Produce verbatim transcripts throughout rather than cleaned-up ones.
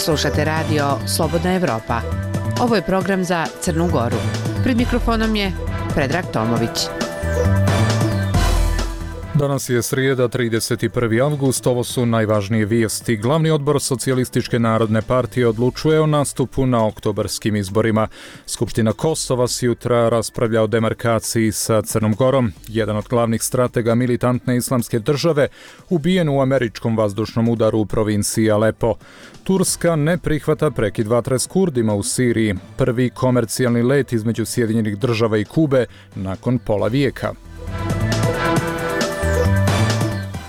Slušate radio Slobodna Evropa. Ovo je program za Crnu Goru. Pred mikrofonom je Predrag Tomović. Danas je srijeda, trideset prvi avgust, ovo su najvažnije vijesti. Glavni odbor Socijalističke narodne partije odlučuje o nastupu na oktobarskim izborima. Skupština Kosova s jutra raspravlja o demarkaciji sa Crnom Gorom. Jedan od glavnih stratega militantne islamske države ubijen u američkom vazdušnom udaru u provinciji Alepo. Turska ne prihvata prekid vatre s Kurdima u Siriji. Prvi komercijalni let između Sjedinjenih država i Kube nakon pola vijeka.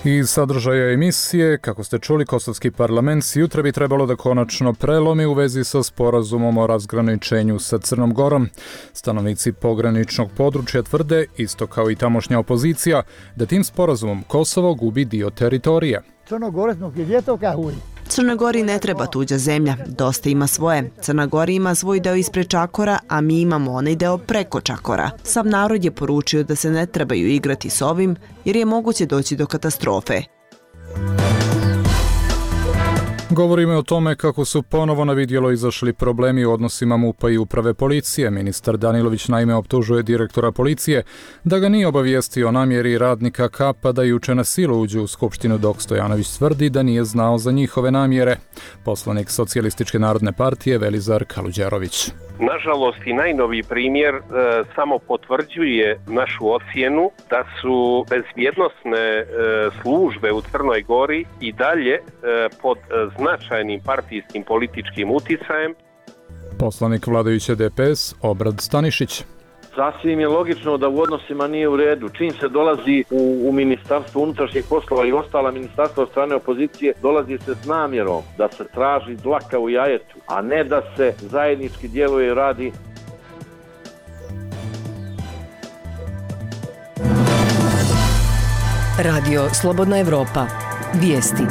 Iz sadržaja emisije, kako ste čuli, kosovski parlament jutra bi trebalo da konačno prelomi u vezi sa sporazumom o razgraničenju sa Crnom Gorom. Stanovnici pograničnog područja tvrde, isto kao i tamošnja opozicija, da tim sporazumom Kosovo gubi dio teritorija. Crnoj Gori ne treba tuđa zemlja, dosta ima svoje. Crna Gora ima svoj deo ispred Čakora, a mi imamo onaj deo preko Čakora. Sav narod je poručio da se ne trebaju igrati s ovim, jer je moguće doći do katastrofe. Govorimo o tome kako su ponovo na vidjelo izašli problemi u odnosima MUP-a i uprave policije. Ministar Danilović naime optužuje direktora policije da ga nije obavijestio o namjeri radnika Kapa da juče na silu uđu u skupštinu, dok Stojanović tvrdi da nije znao za njihove namjere. Poslanik Socijalističke narodne partije Velizar Kaluđerović. Nažalost i najnoviji primjer e, samo potvrđuje našu ocjenu da su bezbjednosne e, službe u Crnoj Gori i dalje e, pod značajnim partijskim političkim uticajem. Poslanik vladajuće D P S Obrad Stanišić. Sasvim je logično da u odnosima nije u redu. Čim se dolazi u, u ministarstvo unutrašnjih poslova i ostala ministarstva od strane opozicije, dolazi se s namjerom da se traži dlaka u jajetu, a ne da se zajednički djeluje i radi. Radio Slobodna Evropa. Vijesti.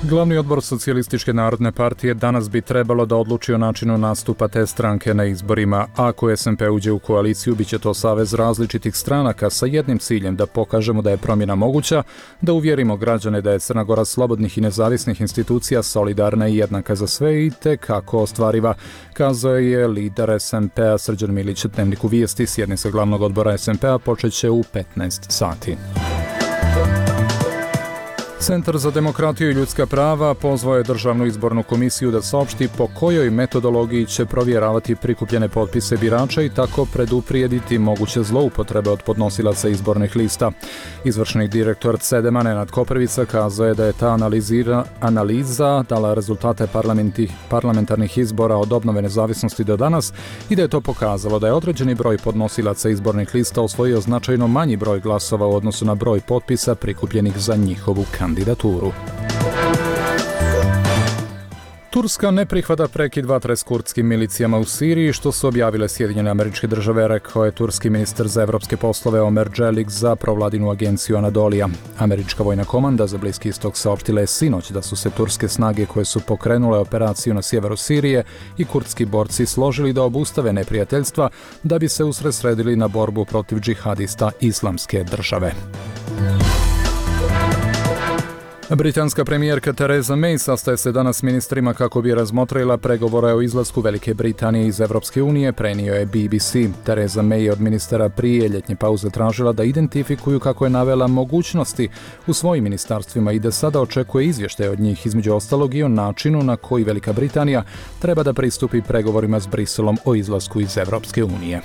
Glavni odbor Socijalističke narodne partije danas bi trebalo da odluči o načinu nastupa te stranke na izborima. Ako S N P uđe u koaliciju, bit će to savez različitih stranaka sa jednim ciljem da pokažemo da je promjena moguća, da uvjerimo građane da je Crna Gora slobodnih i nezavisnih institucija solidarna i jednaka za sve i te kako ostvariva, kazao je lider S N P-a Srđan Milić Dnevniku vijesti. Sjednica glavnog odbora S N P-a počeće u petnaest sati. Centar za demokratiju i ljudska prava pozvao je Državnu izbornu komisiju da saopšti po kojoj metodologiji će provjeravati prikupljene potpise birača i tako preduprijediti moguće zloupotrebe od podnosilaca izbornih lista. Izvršni direktor C E D E M-a Nenad Koprivica kazao je da je ta analizira, analiza dala rezultate parlamentarnih izbora od obnove nezavisnosti do danas i da je to pokazalo da je određeni broj podnosilaca izbornih lista osvojio značajno manji broj glasova u odnosu na broj potpisa prikupljenih za njihovu kandidaturu. Turska ne prihvata prekid vatre s kurdskim milicijama u Siriji, što su objavile Sjedinjene Američke Države, rekao je turski ministar za evropske poslove Omer Dželik za provladinu agenciju Anadolija. Američka vojna komanda za Bliski istok saopštila je sinoć da su se turske snage koje su pokrenule operaciju na sjeveru Sirije i kurdski borci složili da obustave neprijateljstva da bi se usredsredili na borbu protiv džihadista Islamske države. Britanska premijerka Theresa May sastaje se danas s ministrima kako bi razmotrila pregovore o izlasku Velike Britanije iz Evropske unije, prenio je B B C. Theresa May je od ministara prije ljetnje pauze tražila da identifikuju, kako je navela, mogućnosti u svojim ministarstvima i da sada očekuje izvještaje od njih, između ostalog i o načinu na koji Velika Britanija treba da pristupi pregovorima s Briselom o izlasku iz Evropske unije.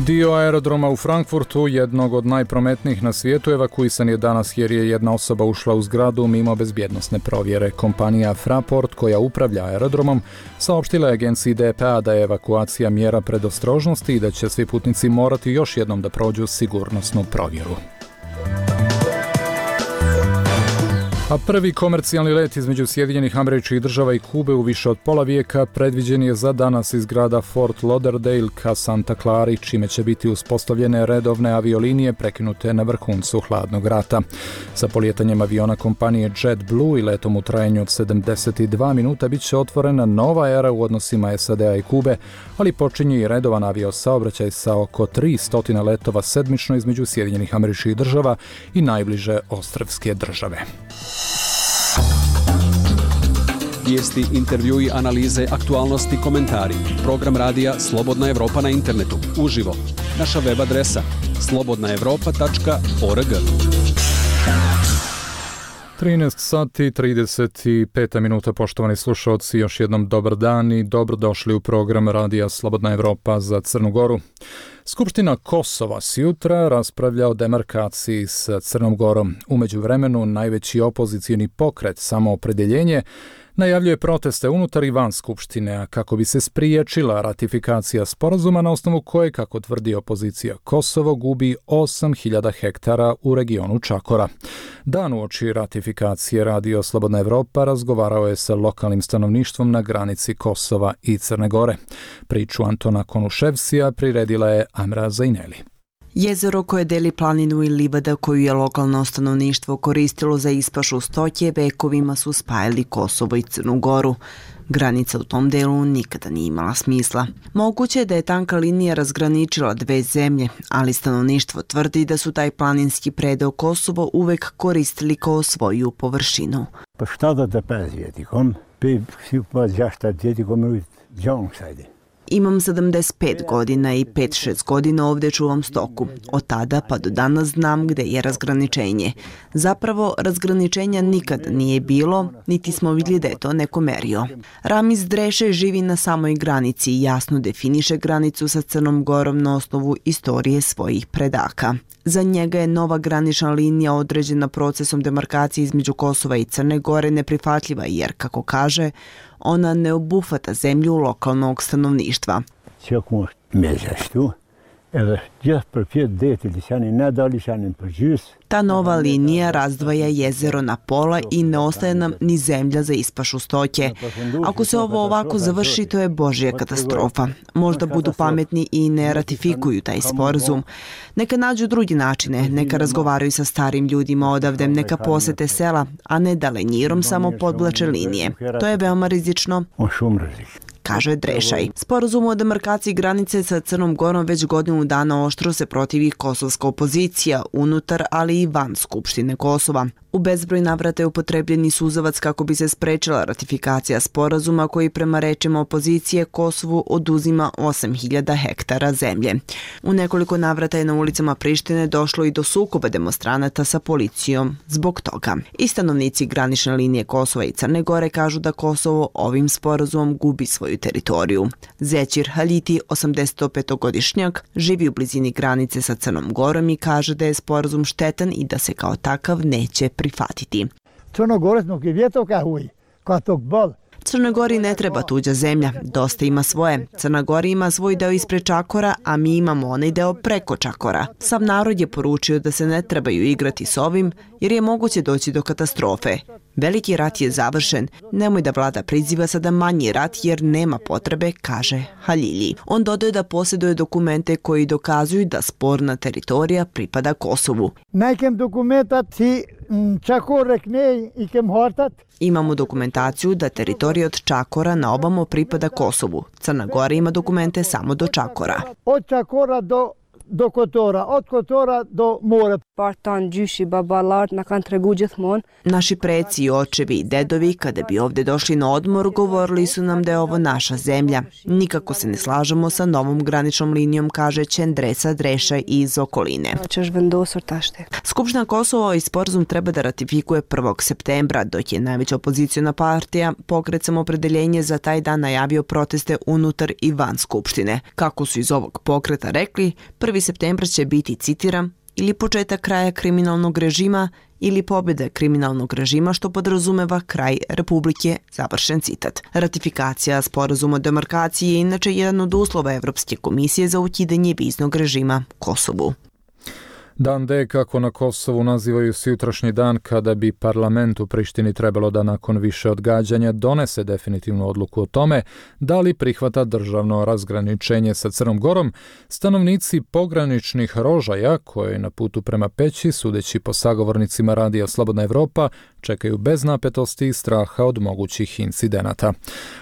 Dio aerodroma u Frankfurtu, jednog od najprometnijih na svijetu, evakuisan je danas jer je jedna osoba ušla u zgradu mimo bezbjednosne provjere. Kompanija Fraport, koja upravlja aerodromom, saopštila je agenciji D P A da je evakuacija mjera predostrožnosti i da će svi putnici morati još jednom da prođu sigurnosnu provjeru. A prvi komercijalni let između Sjedinjenih Američkih Država i Kube u više od pola vijeka predviđen je za danas iz grada Fort Lauderdale ka Santa Clari, čime će biti uspostavljene redovne aviolinije prekinute na vrhuncu hladnog rata. Sa polijetanjem aviona kompanije JetBlue i letom u trajanju od sedamdeset dva minuta bit će otvorena nova era u odnosima S A D-a i Kube, ali počinje i redovan aviosaobraćaj sa oko tristo letova sedmično između Sjedinjenih Američkih Država i najbliže ostrvske države. Vijesti, intervjui, analize, aktualnosti, komentari. Program radija Slobodna Evropa na internetu. Uživo. Naša web adresa slobodna evropa tačka org. trinaest sati trideset pet minuta, poštovani slušalci, još jednom dobar dan i dobrodošli u program radija Slobodna Evropa za Crnu Goru. Skupština Kosova sjutra raspravlja o demarkaciji s Crnom Gorom. U međuvremenu najveći opozicijni pokret Samoopredjeljenje najavljuje proteste unutar i van Skupštine, a kako bi se spriječila ratifikacija sporazuma na osnovu koje, kako tvrdi opozicija, Kosovo gubi osam hiljada hektara u regionu Čakora. Dan uoči ratifikacije Radio Slobodna Evropa razgovarao je sa lokalnim stanovništvom na granici Kosova i Crne Gore. Priču Antona Konuševsija priredila je Amra Zajneli. Jezero koje deli planinu i livada koju je lokalno stanovništvo koristilo za ispašu stoke vekovima su spajali Kosovo i Crnu Goru. Granica u tom delu nikada nije imala smisla. Moguće je da je tanka linija razgraničila dve zemlje, ali stanovništvo tvrdi da su taj planinski predeo Kosovo uvek koristili kao svoju površinu. Pa šta da te pezvijeti, kom? Pe si pa zašta djeti kom džong sajde. Imam sedamdeset pet godina i pet šest godina ovdje čuvam stoku. Od tada pa do danas znam gde je razgraničenje. Zapravo, razgraničenja nikad nije bilo, niti smo vidjeli da je to neko merio. Ramiz Dreše živi na samoj granici i jasno definiše granicu sa Crnom Gorom na osnovu istorije svojih predaka. Za njega je nova granična linija određena procesom demarkacije između Kosova i Crne Gore neprihvatljiva jer, kako kaže, ona ne obuhvata zemlju lokalnog stanovništva. Ta nova linija razdvaja jezero na pola i ne ostaje nam ni zemlja za ispašu stoke. Ako se ovo ovako završi, to je božja katastrofa. Možda budu pametni i ne ratifikuju taj sporazum. Neka nađu drugi načine, neka razgovaraju sa starim ljudima odavde, neka posete sela, a ne da lenjirom samo podvlače linije. To je veoma rizično, kaže Drešaj. Sporazum o demarkaciji granice sa Crnom Gorom već godinu dana oštro se protivi kosovska opozicija, unutar, ali i van Skupštine Kosova. U bezbroj navrata je upotrebljeni suzavac kako bi se sprečila ratifikacija sporazuma koji prema rečima opozicije Kosovu oduzima osam hiljada hektara zemlje. U nekoliko navrata je na ulicama Prištine došlo i do sukoba demonstranata sa policijom zbog toga. I stanovnici granične linije Kosova i Crne Gore kažu da Kosovo ovim sporazumom gubi svoju teritoriju. Zećir Haliti, osamdesetpetogodišnjak, živi u blizini granice sa Crnom Gorom i kaže da je sporazum štetan i da se kao takav neće prihvatiti. Crnoj Gori ne treba tuđa zemlja, dosta ima svoje. Crna Gora ima svoj deo ispred Čakora, a mi imamo onaj deo preko Čakora. Sav narod je poručio da se ne trebaju igrati s ovim, jer je moguće doći do katastrofe. Veliki rat je završen, nemoj da vlada priziva sada manji rat jer nema potrebe, kaže Halilji. On dodaje da posjeduje dokumente koji dokazuju da sporna teritorija pripada Kosovu. Nekem dokumentat si Čakor ne i kem hortat. Imamo dokumentaciju da teritorija od Čakora na obamo pripada Kosovu. Crna Gora ima dokumente samo do Čakora. Od Čakora do do Kotora, od Kotora do mora. Partan, džuši, babalar, na kan tregu gjithmon. Naši preci, očevi i dedovi, kada bi ovdje došli na odmor, govorili su nam da je ovo naša zemlja. Nikako se ne slažemo sa novom graničnom linijom, kaže Čendresa Dreša iz okoline. Skupština Kosova i sporazum treba da ratifikuje prvog septembra, dok je najveća opozicijona partija Pokret Samoopredjeljenje za taj dan najavio proteste unutar i van Skupštine. Kako su iz ovog pokreta rekli, prvi septembra će biti, citiram, ili početak kraja kriminalnog režima ili pobjeda kriminalnog režima, što podrazumeva kraj Republike, završen citat. Ratifikacija sporazuma o demarkaciji je inače jedan od uslova Evropske komisije za ukidanje viznog režima Kosovu. Dan D, kako na Kosovu nazivaju sutrašnji dan kada bi parlament u Prištini trebalo da nakon više odgađanja donese definitivnu odluku o tome da li prihvata državno razgraničenje sa Crnom Gorom, stanovnici pograničnih Rožaja, koje je na putu prema Peći, sudeći po sagovornicima radija Slobodna Evropa, čekaju bez napetosti i straha od mogućih incidenata.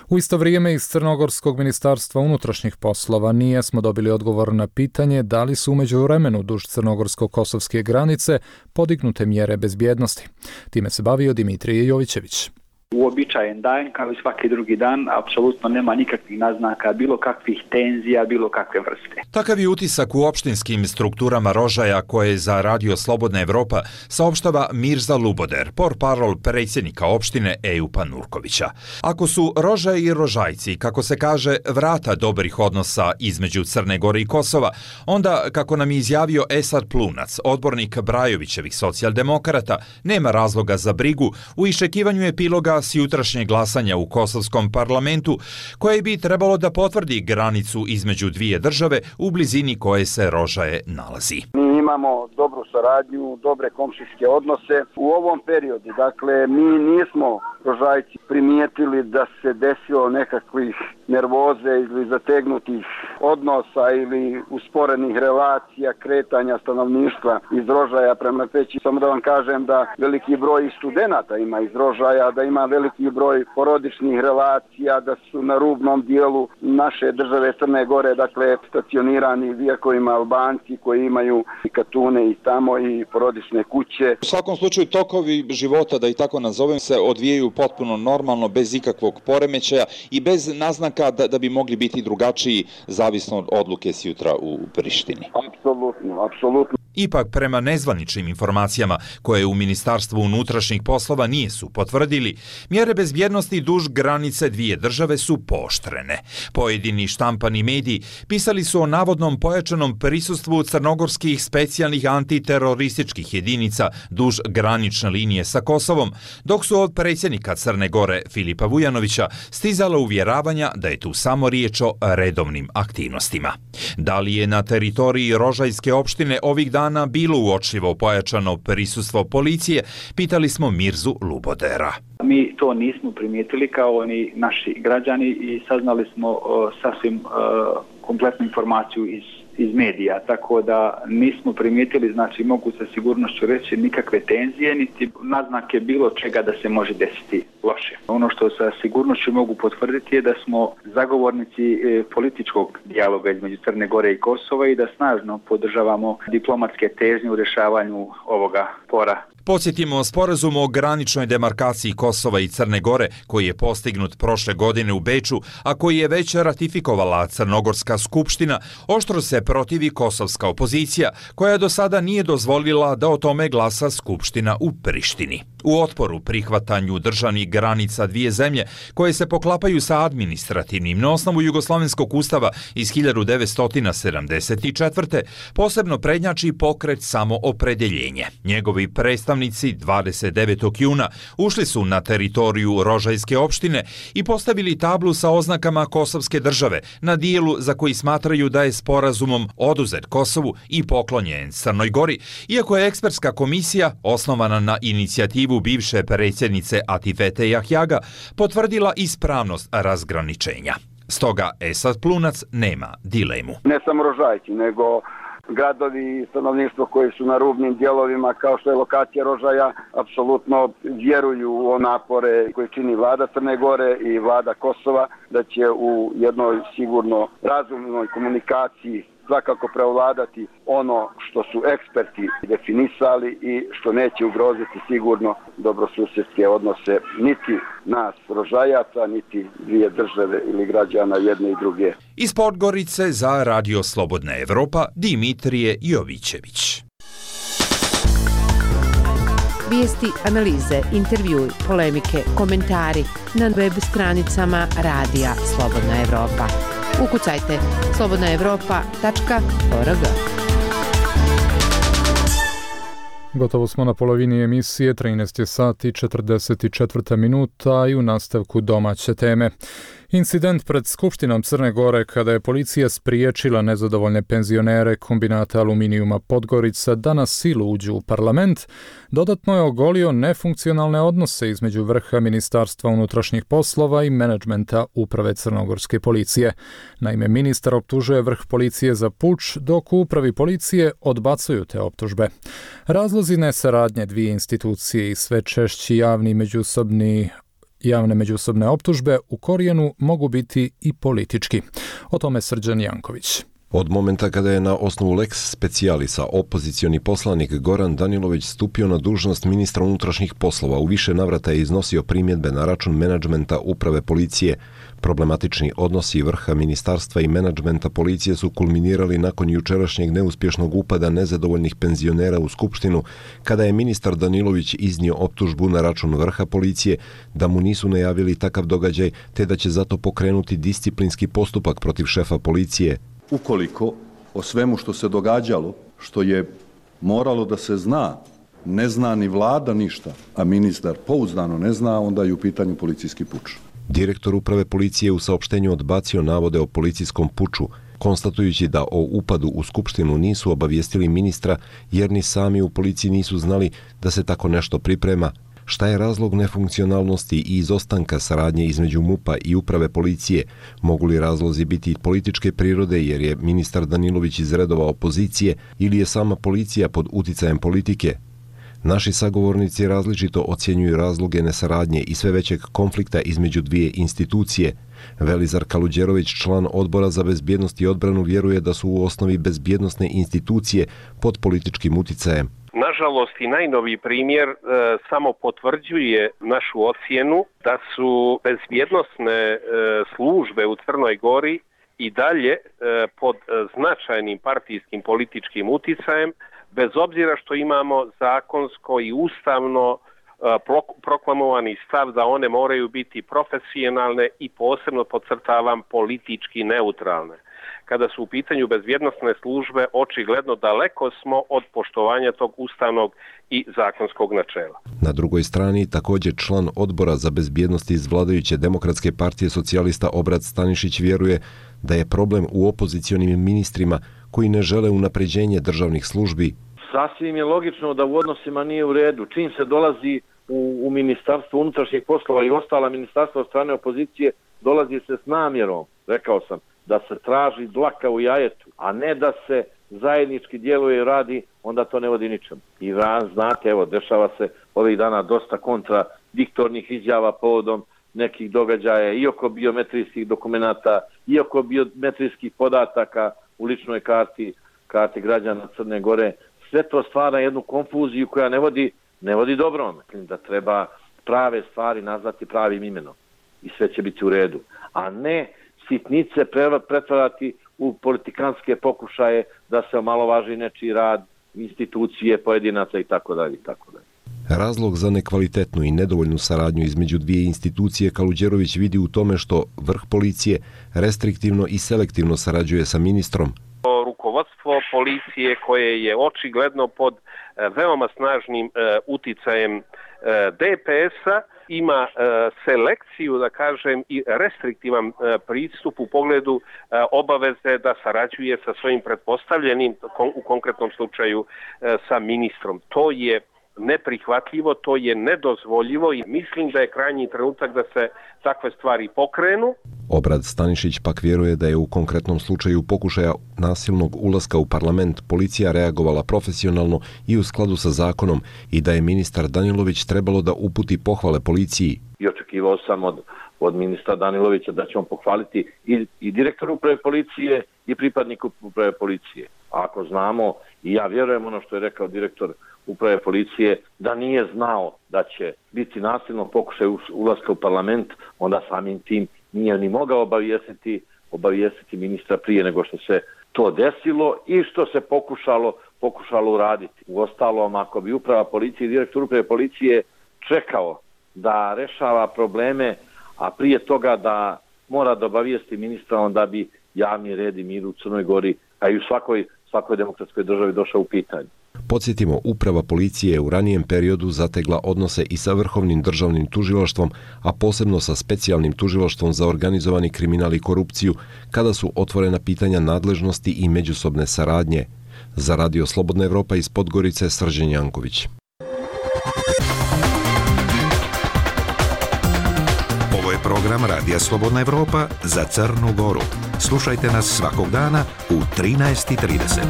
U isto vrijeme iz Crnogorskog ministarstva unutrašnjih poslova nije smo dobili odgovor na pitanje da li su u međuvremenu duž crnogorsko-kosovske granice podignute mjere bezbjednosti. Time se bavio Dimitrije Jovićević. Uobičajen dan, kao i svaki drugi dan, apsolutno nema nikakvih naznaka, bilo kakvih tenzija, bilo kakve vrste. Takav je utisak u opštinskim strukturama Rožaja koje za Radio Slobodna Evropa saopštava Mirza Luboder, portparol predsjednika opštine Ejupa Nurkovića. Ako su Rožaj i Rožajci, kako se kaže, vrata dobrih odnosa između Crne Gore i Kosova, onda, kako nam je izjavio Esad Plunac, odbornik Brajovićevih socijaldemokrata, nema razloga za brigu u iščekivanju epiloga s jutrašnjeg glasanja u kosovskom parlamentu, koje bi trebalo da potvrdi granicu između dvije države u blizini koje se Rožaje nalazi. Mi imamo dobru saradnju, dobre komšijske odnose. U ovom periodu, dakle, mi nismo Rožajci primijetili da se desilo nekakvih nervoze ili zategnutih odnosa ili usporenih relacija, kretanja stanovništva iz Rožaja prema Peći. Samo da vam kažem da veliki broj studenata ima iz Rožaja, da ima veliki broj porodičnih relacija, da su na rubnom dijelu naše države Crne Gore, dakle, stacionirani vjekovima Albanci koji imaju i katune i tamo i porodične kuće. U svakom slučaju tokovi života, da i tako nazovem, se odvijaju potpuno normalno, bez ikakvog poremećaja i bez naznaka da, da bi mogli biti drugačiji zavisno od odluke s jutra u Prištini. Apsolutno, apsolutno. Ipak, prema nezvaničnim informacijama koje u Ministarstvu unutrašnjih poslova nisu potvrdili, mjere bezbjednosti duž granice dvije države su pooštrene. Pojedini štampani mediji pisali su o navodnom pojačanom prisustvu crnogorskih specijalnih antiterorističkih jedinica duž granične linije sa Kosovom, dok su od predsjednika Crne Gore Filipa Vujanovića stizala uvjeravanja da je tu samo riječ o redovnim aktivnostima. Da li je na teritoriji Rožajske opštine ovih dana bilo uočljivo pojačano prisustvo policije, pitali smo Mirzu Lubodera. Mi to nismo primijetili kao oni naši građani i saznali smo uh, sasvim uh, kompletnu informaciju iz iz medija, tako da nismo primijetili, znači mogu sa sigurnošću reći, nikakve tenzije, niti naznake bilo čega da se može desiti loše. Ono što sa sigurnošću mogu potvrditi je da smo zagovornici e, političkog dijaloga između Crne Gore i Kosova i da snažno podržavamo diplomatske težnje u rješavanju ovoga spora. Podsjetimo, sporazum o graničnoj demarkaciji Kosova i Crne Gore, koji je postignut prošle godine u Beču, a koji je već ratifikovala Crnogorska skupština, oštro se protivi kosovska opozicija, koja do sada nije dozvolila da o tome glasa skupština u Prištini. U otporu prihvatanju državnih granica dvije zemlje, koje se poklapaju sa administrativnim na osnovu Jugoslovenskog ustava iz hiljadu devetsto sedamdeset četvrte. posebno prednjači pokret Samoopredeljenje. Njegovi predstavnici dvadeset devetog juna ušli su na teritoriju Rožajske opštine i postavili tablu sa oznakama kosovske države na dijelu za koji smatraju da je sporazumom oduzet Kosovu i poklonjen Crnoj Gori, iako je ekspertska komisija, osnovana na inicijativu bivše predsjednice Atifete Jahjaga, potvrdila ispravnost razgraničenja. Stoga Esad Plunac nema dilemu. Ne samo Rožajci, nego gradovi i stanovništvo koji su na rubnim dijelovima, kao što je lokacija Rožaja, apsolutno vjeruju u napore koje čini vlada Crne Gore i vlada Kosova, da će u jednoj sigurno razumnoj komunikaciji svakako prevladati ono što su eksperti definisali i što neće ugroziti sigurno dobrosusjedske odnose niti nas Rožajaca, niti dvije države ili građana jedne i druge. Iz Podgorice za Radio Slobodna Evropa, Dimitrije Jovićević. Vijesti, analize, intervjui, polemike, komentari na web stranicama Radija Slobodna Evropa. Ukucajte slobodna evropa tačka org. Gotovo smo na polovini emisije, trinaest je sati četrdeset četiri minuta i u nastavku domaće teme. Incident pred Skupštinom Crne Gore kada je policija spriječila nezadovoljne penzionere kombinata aluminijuma Podgorica da na silu uđu u parlament, dodatno je ogolio nefunkcionalne odnose između vrha Ministarstva unutrašnjih poslova i menadžmenta uprave crnogorske policije. Naime, ministar optužuje vrh policije za puč, dok u upravi policije odbacuju te optužbe. Razlozi nesaradnje dvije institucije i sve češći javni međusobni Javne međusobne optužbe u korijenu mogu biti i politički. O tome Srđan Janković. Od momenta kada je na osnovu lex specialisa opozicioni poslanik Goran Danilović stupio na dužnost ministra unutrašnjih poslova, u više navrata je iznosio primjedbe na račun menadžmenta uprave policije. Problematični odnosi vrha ministarstva i menadžmenta policije su kulminirali nakon jučerašnjeg neuspješnog upada nezadovoljnih penzionera u Skupštinu, kada je ministar Danilović iznio optužbu na račun vrha policije da mu nisu najavili takav događaj, te da će zato pokrenuti disciplinski postupak protiv šefa policije. Ukoliko o svemu što se događalo, što je moralo da se zna, ne zna ni vlada ništa, a ministar pouzdano ne zna, onda je u pitanju policijski puč. Direktor uprave policije u saopštenju odbacio navode o policijskom puču, konstatujući da o upadu u Skupštinu nisu obavijestili ministra jer ni sami u policiji nisu znali da se tako nešto priprema. Šta je razlog nefunkcionalnosti i izostanka saradnje između MUP-a i uprave policije? Mogu li razlozi biti političke prirode jer je ministar Danilović iz redova opozicije ili je sama policija pod uticajem politike? Naši sagovornici različito ocjenjuju razloge nesaradnje i sve većeg konflikta između dvije institucije. Velizar Kaluđerović, član Odbora za bezbjednost i odbranu, vjeruje da su u osnovi bezbjednosne institucije pod političkim uticajem. Nažalost, i najnoviji primjer e, samo potvrđuje našu ocjenu da su bezbjednosne e, službe u Crnoj Gori i dalje e, pod značajnim partijskim političkim uticajem, bez obzira što imamo zakonsko i ustavno proklamovani stav da one moraju biti profesionalne i posebno podcrtavam politički neutralne. Kada su u pitanju bezbjednosne službe, očigledno daleko smo od poštovanja tog ustavnog i zakonskog načela. Na drugoj strani također član Odbora za bezbjednost iz vladajuće Demokratske partije socijalista Obrad Stanišić vjeruje da je problem u opozicionim ministrima koji ne žele unapređenje državnih službi. Sasvim je logično da u odnosima nije u redu. Čim se dolazi u, u Ministarstvo unutrašnjih poslova i ostala ministarstva od strane opozicije, dolazi se s namjerom, rekao sam, da se traži dlaka u jajetu, a ne da se zajednički djeluje i radi, onda to ne vodi ničemu. I znate, evo, dešava se ovih dana dosta kontradiktornih izjava povodom nekih događaja i oko biometrijskih dokumenata, i oko biometrijskih podataka u ličnoj karti, karti građana Crne Gore. Sve to stvara jednu konfuziju koja ne vodi, ne vodi dobrome. Da treba prave stvari nazvati pravim imenom i sve će biti u redu, a ne sitnice pretvarati u politikanske pokušaje da se omalovaži nečiji rad, institucije, pojedinaca i tako dalje i tako dalje. Razlog za nekvalitetnu i nedovoljnu saradnju između dvije institucije Kaluđerović vidi u tome što vrh policije restriktivno i selektivno sarađuje sa ministrom. Rukovodstvo policije koje je očigledno pod veoma snažnim uticajem D P S-a ima selekciju, da kažem, i restriktivan pristup u pogledu obaveze da sarađuje sa svojim pretpostavljenim, u konkretnom slučaju sa ministrom. To je neprihvatljivo, to je nedozvoljivo i mislim da je krajnji trenutak da se takve stvari pokrenu. Obrad Stanišić pak vjeruje da je u konkretnom slučaju pokušaja nasilnog ulaska u parlament policija reagovala profesionalno i u skladu sa zakonom i da je ministar Danilović trebalo da uputi pohvale policiji. I očekivao sam od, od ministra Danilovića da će on pohvaliti i, i direktor uprave policije i pripadnik uprave policije. A ako znamo, i ja vjerujem ono što je rekao direktor uprave policije, da nije znao da će biti nasilno pokušaj ulaska u parlament, onda samim tim nije ni mogao obavijestiti, obavijestiti ministra prije nego što se to desilo i što se pokušalo, pokušalo uraditi. Uostalom, ako bi uprava policije i direktor uprave policije čekao da rešava probleme, a prije toga da mora da obavijesti ministra, onda bi javni red i mir u Crnoj Gori, a i u svakoj, svakoj demokratskoj državi došao u pitanje. Podsjetimo, uprava policije je u ranijem periodu zategla odnose i sa Vrhovnim državnim tužilaštvom, a posebno sa Specijalnim tužilaštvom za organizovani kriminal i korupciju, kada su otvorena pitanja nadležnosti i međusobne saradnje. Za Radio Slobodna Evropa iz Podgorice, Srđan Janković. Ovo je program Radija Slobodna Evropa za Crnu Goru. Slušajte nas svakog dana u trinaest i trideset.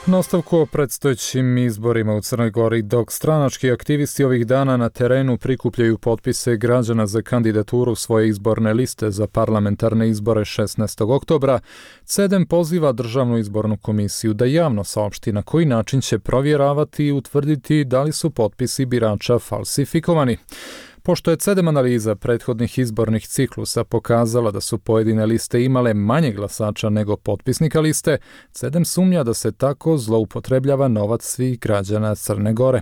Nastavku o predstojećim izborima u Crnoj Gori, dok stranački aktivisti ovih dana na terenu prikupljaju potpise građana za kandidaturu svoje izborne liste za parlamentarne izbore šesnaestog oktobra, C E D E M poziva Državnu izbornu komisiju da javno saopšti na koji način će provjeravati i utvrditi da li su potpisi birača falsifikovani. Pošto je C E D E M analiza prethodnih izbornih ciklusa pokazala da su pojedine liste imale manje glasača nego potpisnika liste, C E D E M sumnja da se tako zloupotrebljava novac svih građana Crne Gore.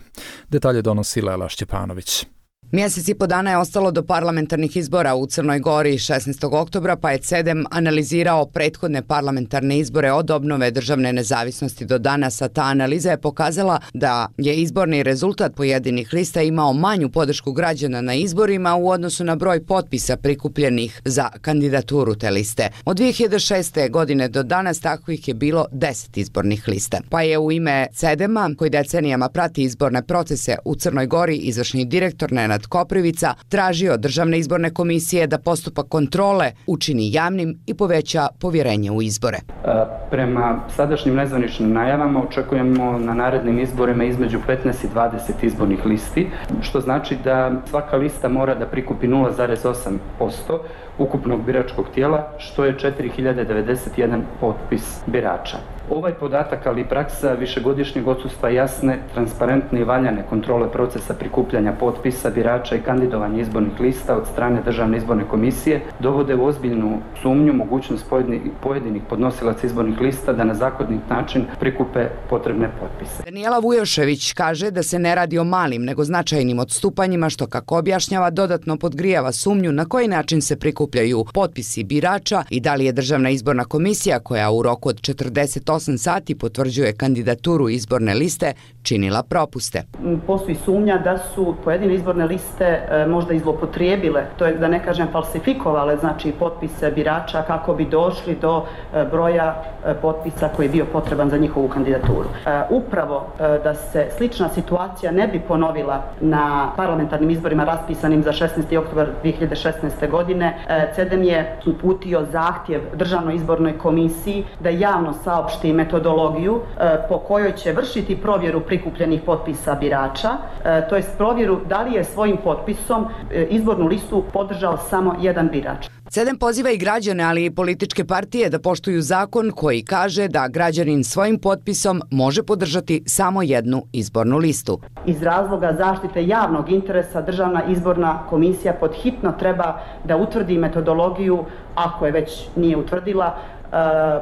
Detalje donosi Lela Šćepanović. Mjesec i po dana je ostalo do parlamentarnih izbora u Crnoj Gori šesnaestog oktobra, pa je C E D E M analizirao prethodne parlamentarne izbore od obnove državne nezavisnosti do danas, a ta analiza je pokazala da je izborni rezultat pojedinih lista imao manju podršku građana na izborima u odnosu na broj potpisa prikupljenih za kandidaturu te liste. Od dvije hiljade šeste. godine do danas takvih je bilo deset izbornih lista. Pa je u ime C E D E M-a, koji decenijama prati izborne procese u Crnoj Gori, izvršni direktor Nenad Koprivica tražio od Državne izborne komisije da postupak kontrole učini javnim i poveća povjerenje u izbore. Prema sadašnjim nezvaničnim najavama očekujemo na narednim izborima između petnaest i dvadeset izbornih listi, što znači da svaka lista mora da prikupi nula zarez osam posto ukupnog biračkog tijela, što je četiri hiljade devedeset jedan potpis birača. Ovaj podatak, ali i praksa višegodišnjeg odsustva jasne, transparentne i valjane kontrole procesa prikupljanja potpisa birača i kandidovanja izbornih lista od strane Državne izborne komisije dovode u ozbiljnu sumnju mogućnost pojedinih podnosilaca izbornih lista da na zakonit način prikupe potrebne potpise. Danijela Vujošević kaže da se ne radi o malim nego značajnim odstupanjima, što, kako objašnjava, dodatno podgrijava sumnju na koji način se prikupljaju potpisi birača i da li je Državna izborna komisija, koja u roku od četrdeset osam sati potvrđuje kandidaturu izborne liste, činila propuste. Postoji sumnja da su pojedine izborne liste e, možda i zlopotrijebile, to je da ne kažem falsifikovale, znači potpise birača kako bi došli do e, broja e, potpisa koji je bio potreban za njihovu kandidaturu. E, upravo e, da se slična situacija ne bi ponovila na parlamentarnim izborima raspisanim za šesnaesti oktobar dvije hiljade šesnaeste. godine, e, C E D E M je uputio zahtjev Državnoj izbornoj komisiji da javno saopšti metodologiju e, po kojoj će vršiti provjeru prikupljenih potpisa birača, e, to jest provjeru da li je svojim potpisom e, izbornu listu podržao samo jedan birač. C E D E M poziva i građane, ali i političke partije da poštuju zakon koji kaže da građanin svojim potpisom može podržati samo jednu izbornu listu. Iz razloga zaštite javnog interesa Državna izborna komisija podhitno treba da utvrdi metodologiju, ako je već nije utvrdila,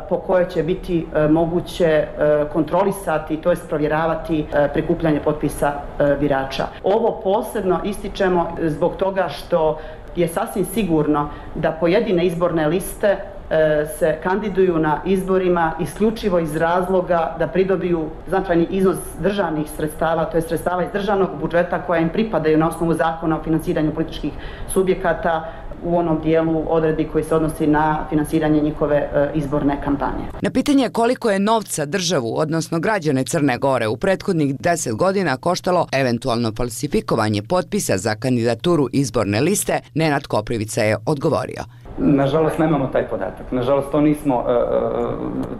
po kojoj će biti moguće kontrolisati, to jest provjeravati prikupljanje potpisa birača. Ovo posebno ističemo zbog toga što je sasvim sigurno da pojedine izborne liste se kandiduju na izborima isključivo iz razloga da pridobiju značajni iznos državnih sredstava, to je sredstava iz državnog budžeta koja im pripadaju na osnovu zakona o financiranju političkih subjekata u onom dijelu odredbi koji se odnosi na finansiranje njihove e, izborne kampanje. Na pitanje koliko je novca državu, odnosno građane Crne Gore, u prethodnih deset godina koštalo eventualno falsifikovanje potpisa za kandidaturu izborne liste, Nenad Koprivica je odgovorio. Nažalost, nemamo taj podatak. Nažalost, to nismo,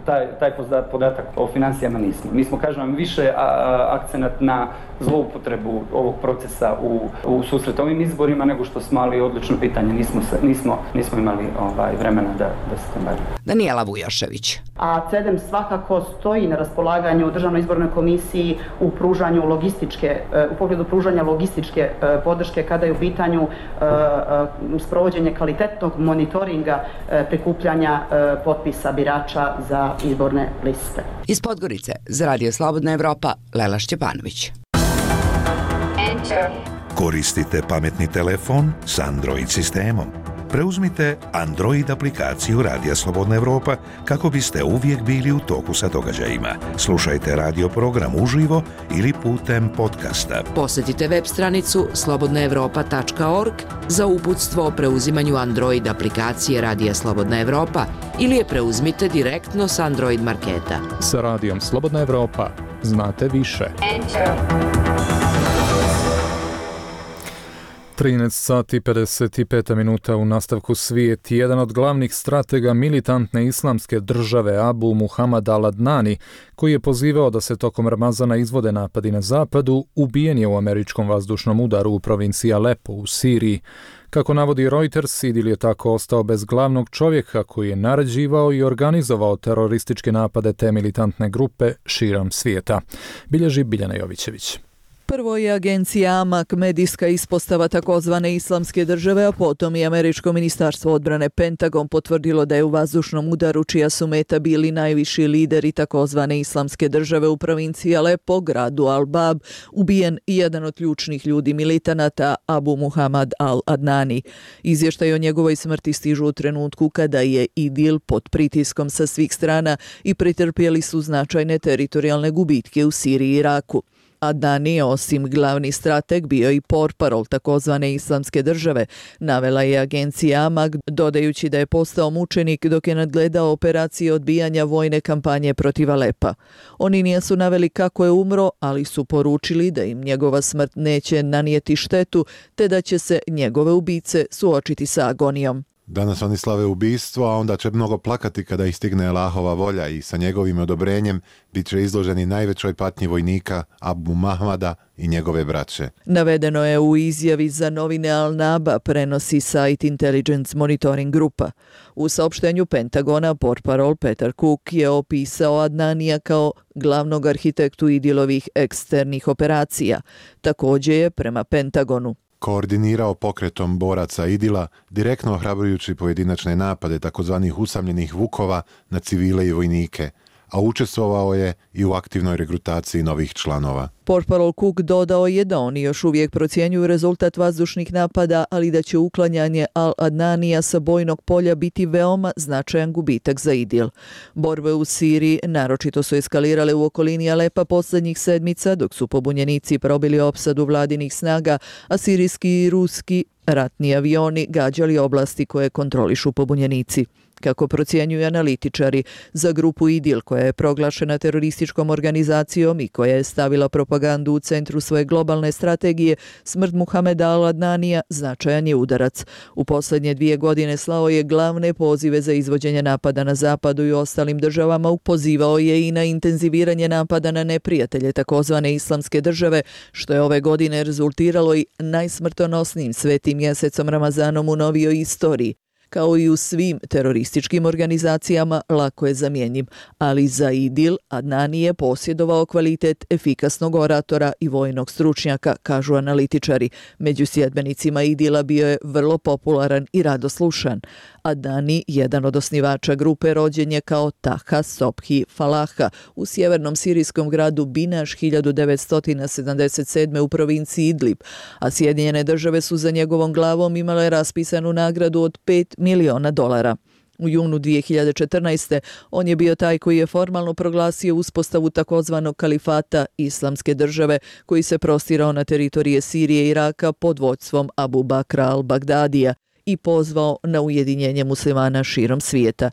taj, taj podatak o financijama nismo. Mi smo, kažem vam, više akcenat na zloupotrebu ovog procesa u, u susret ovim izborima nego što smo, ali odlično pitanje, nismo, se, nismo, nismo imali ovaj, vremena da, da se tom bavimo. Danijela Vujošević. A C E D E M svakako stoji na raspolaganju Državnoj izbornoj komisiji u pružanju logističke, u pogledu pružanja logističke podrške kada je u pitanju sprovođenje kvalitetnog monitoringa prikupljanja potpisa birača za izborne liste. Iz Podgorice za Radio Slobodna Evropa, Lela Šćepanović. Koristite pametni telefon s Android sistemom. Preuzmite Android aplikaciju Radija Slobodna Evropa kako biste uvijek bili u toku sa događajima. Slušajte radio program uživo ili putem podcasta. Posjetite web stranicu slobodna evropa tačka org za uputstvo o preuzimanju Android aplikacije Radija Slobodna Evropa ili je preuzmite direktno s Android marketa. Sa Radijom Slobodna Evropa znate više. trinaest sati pedeset pet minuta u nastavku svijet. Jedan od glavnih stratega militantne islamske države Abu Muhammad al-Adnani, koji je pozivao da se tokom Ramazana izvode napadi na zapadu, ubijen je u američkom vazdušnom udaru u provinciji Alepo u Siriji. Kako navodi Reuters, Idil je tako ostao bez glavnog čovjeka koji je naređivao i organizovao terorističke napade te militantne grupe širom svijeta. Bilježi Biljana Jovićević. Prvo je agencija Amak, medijska ispostava takozvane islamske države, a potom i američko ministarstvo odbrane Pentagon potvrdilo da je u vazdušnom udaru, čija su meta bili najviši lideri takozvane islamske države u provinciji Alepo, gradu Al-Bab, ubijen jedan od ključnih ljudi militanata, Abu Muhammad al-Adnani. Izvještaj o njegovoj smrti stižu u trenutku kada je Idil pod pritiskom sa svih strana i pretrpjeli su značajne teritorijalne gubitke u Siriji i Iraku. Adnani je osim glavni strateg bio i portparol takozvane islamske države, navela je agencija Amak, dodajući da je postao mučenik dok je nadgledao operacije odbijanja vojne kampanje protiv Alepa. Oni nisu naveli kako je umro, ali su poručili da im njegova smrt neće nanijeti štetu, te da će se njegove ubice suočiti sa agonijom. Danas oni slave ubistvo, a onda će mnogo plakati kada ih stigne Allahova volja i sa njegovim odobrenjem bit će izloženi najvećoj patnji vojnika Abu Mahmada i njegove braće. Navedeno je u izjavi za novine Al-Naba, prenosi Site Intelligence Monitoring grupa. U saopštenju Pentagona portparol Peter Cook je opisao Adnanija kao glavnog arhitektu Idilovih eksternih operacija. Također je prema Pentagonu koordinirao pokretom boraca Idila, direktno ohrabrujući pojedinačne napade takozvanih usamljenih vukova na civile i vojnike, a učestvovao je i u aktivnoj regrutaciji novih članova. Portparol Cook dodao je da oni još uvijek procjenjuju rezultat vazdušnih napada, ali da će uklanjanje Al-Adnanija sa bojnog polja biti veoma značajan gubitak za Idil. Borbe u Siriji naročito su eskalirale u okolini Alepa posljednjih sedmica, dok su pobunjenici probili opsadu vladinih snaga, a sirijski i ruski ratni avioni gađali oblasti koje kontrolišu pobunjenici. Kako procjenjuju analitičari, za grupu Idil, koja je proglašena terorističkom organizacijom i koja je stavila propagandu u centru svoje globalne strategije, smrt Muhameda al-Adnanija značajan je udarac. U posljednje dvije godine slao je glavne pozive za izvođenje napada na zapadu i ostalim državama, pozivao je i na intenziviranje napada na neprijatelje takozvane islamske države, što je ove godine rezultiralo i najsmrtonosnijim svetim mjesecom Ramazanom u novijoj istoriji. Kao i u svim terorističkim organizacijama, lako je zamjenjiv, ali za Idil Adnani je posjedovao kvalitet efikasnog oratora i vojnog stručnjaka, kažu analitičari. Među sljedbenicima Idila bio je vrlo popularan i radoslušan. Adnani, jedan od osnivača grupe, rođen je kao Taha Sobhi Falaha u sjevernom sirijskom gradu Binaš hiljadu devetsto sedamdeset sedme u provinciji Idlib, a Sjedinjene države su za njegovom glavom imale raspisanu nagradu od pet miliona dolara. U junu dvije hiljade četrnaeste. on je bio taj koji je formalno proglasio uspostavu takozvanog kalifata islamske države, koji se prostirao na teritorije Sirije i Iraka pod vodstvom Abu Bakra al-Bagdadija i pozvao na ujedinjenje muslimana širom svijeta.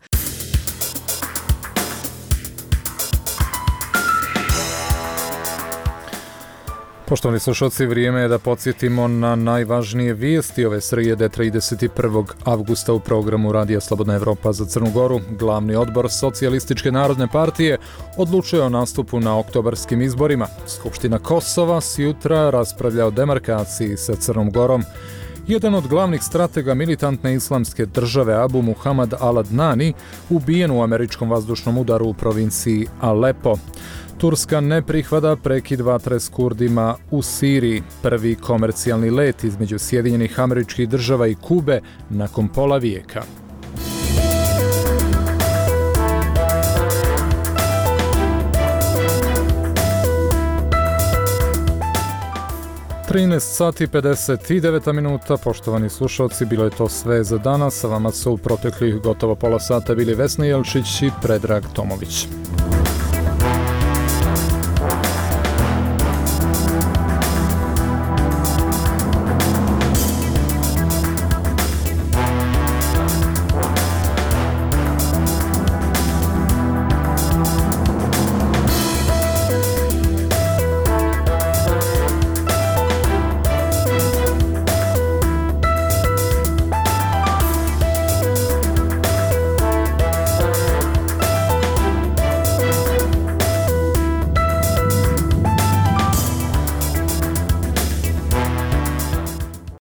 Poštovani slušalci, vrijeme je da podsjetimo na najvažnije vijesti ove srijede trideset prvog avgusta u programu Radija Slobodna Evropa za Crnu Goru. Glavni odbor Socijalističke narodne partije odlučuje o nastupu na oktobarskim izborima. Skupština Kosova sjutra raspravlja o demarkaciji sa Crnom Gorom. Jedan od glavnih stratega militantne islamske države Abu Muhammad al-Adnani ubijen u američkom vazdušnom udaru u provinciji Alepo. Turska ne prihvata prekid vatre s Kurdima u Siriji. Prvi komercijalni let između Sjedinjenih Američkih Država i Kube nakon pola vijeka. trinaest sati pedeset devet minuta, poštovani slušalci, bilo je to sve za danas. Sa vama su u proteklih gotovo pola sata bili Vesna Jelčić i Predrag Tomović.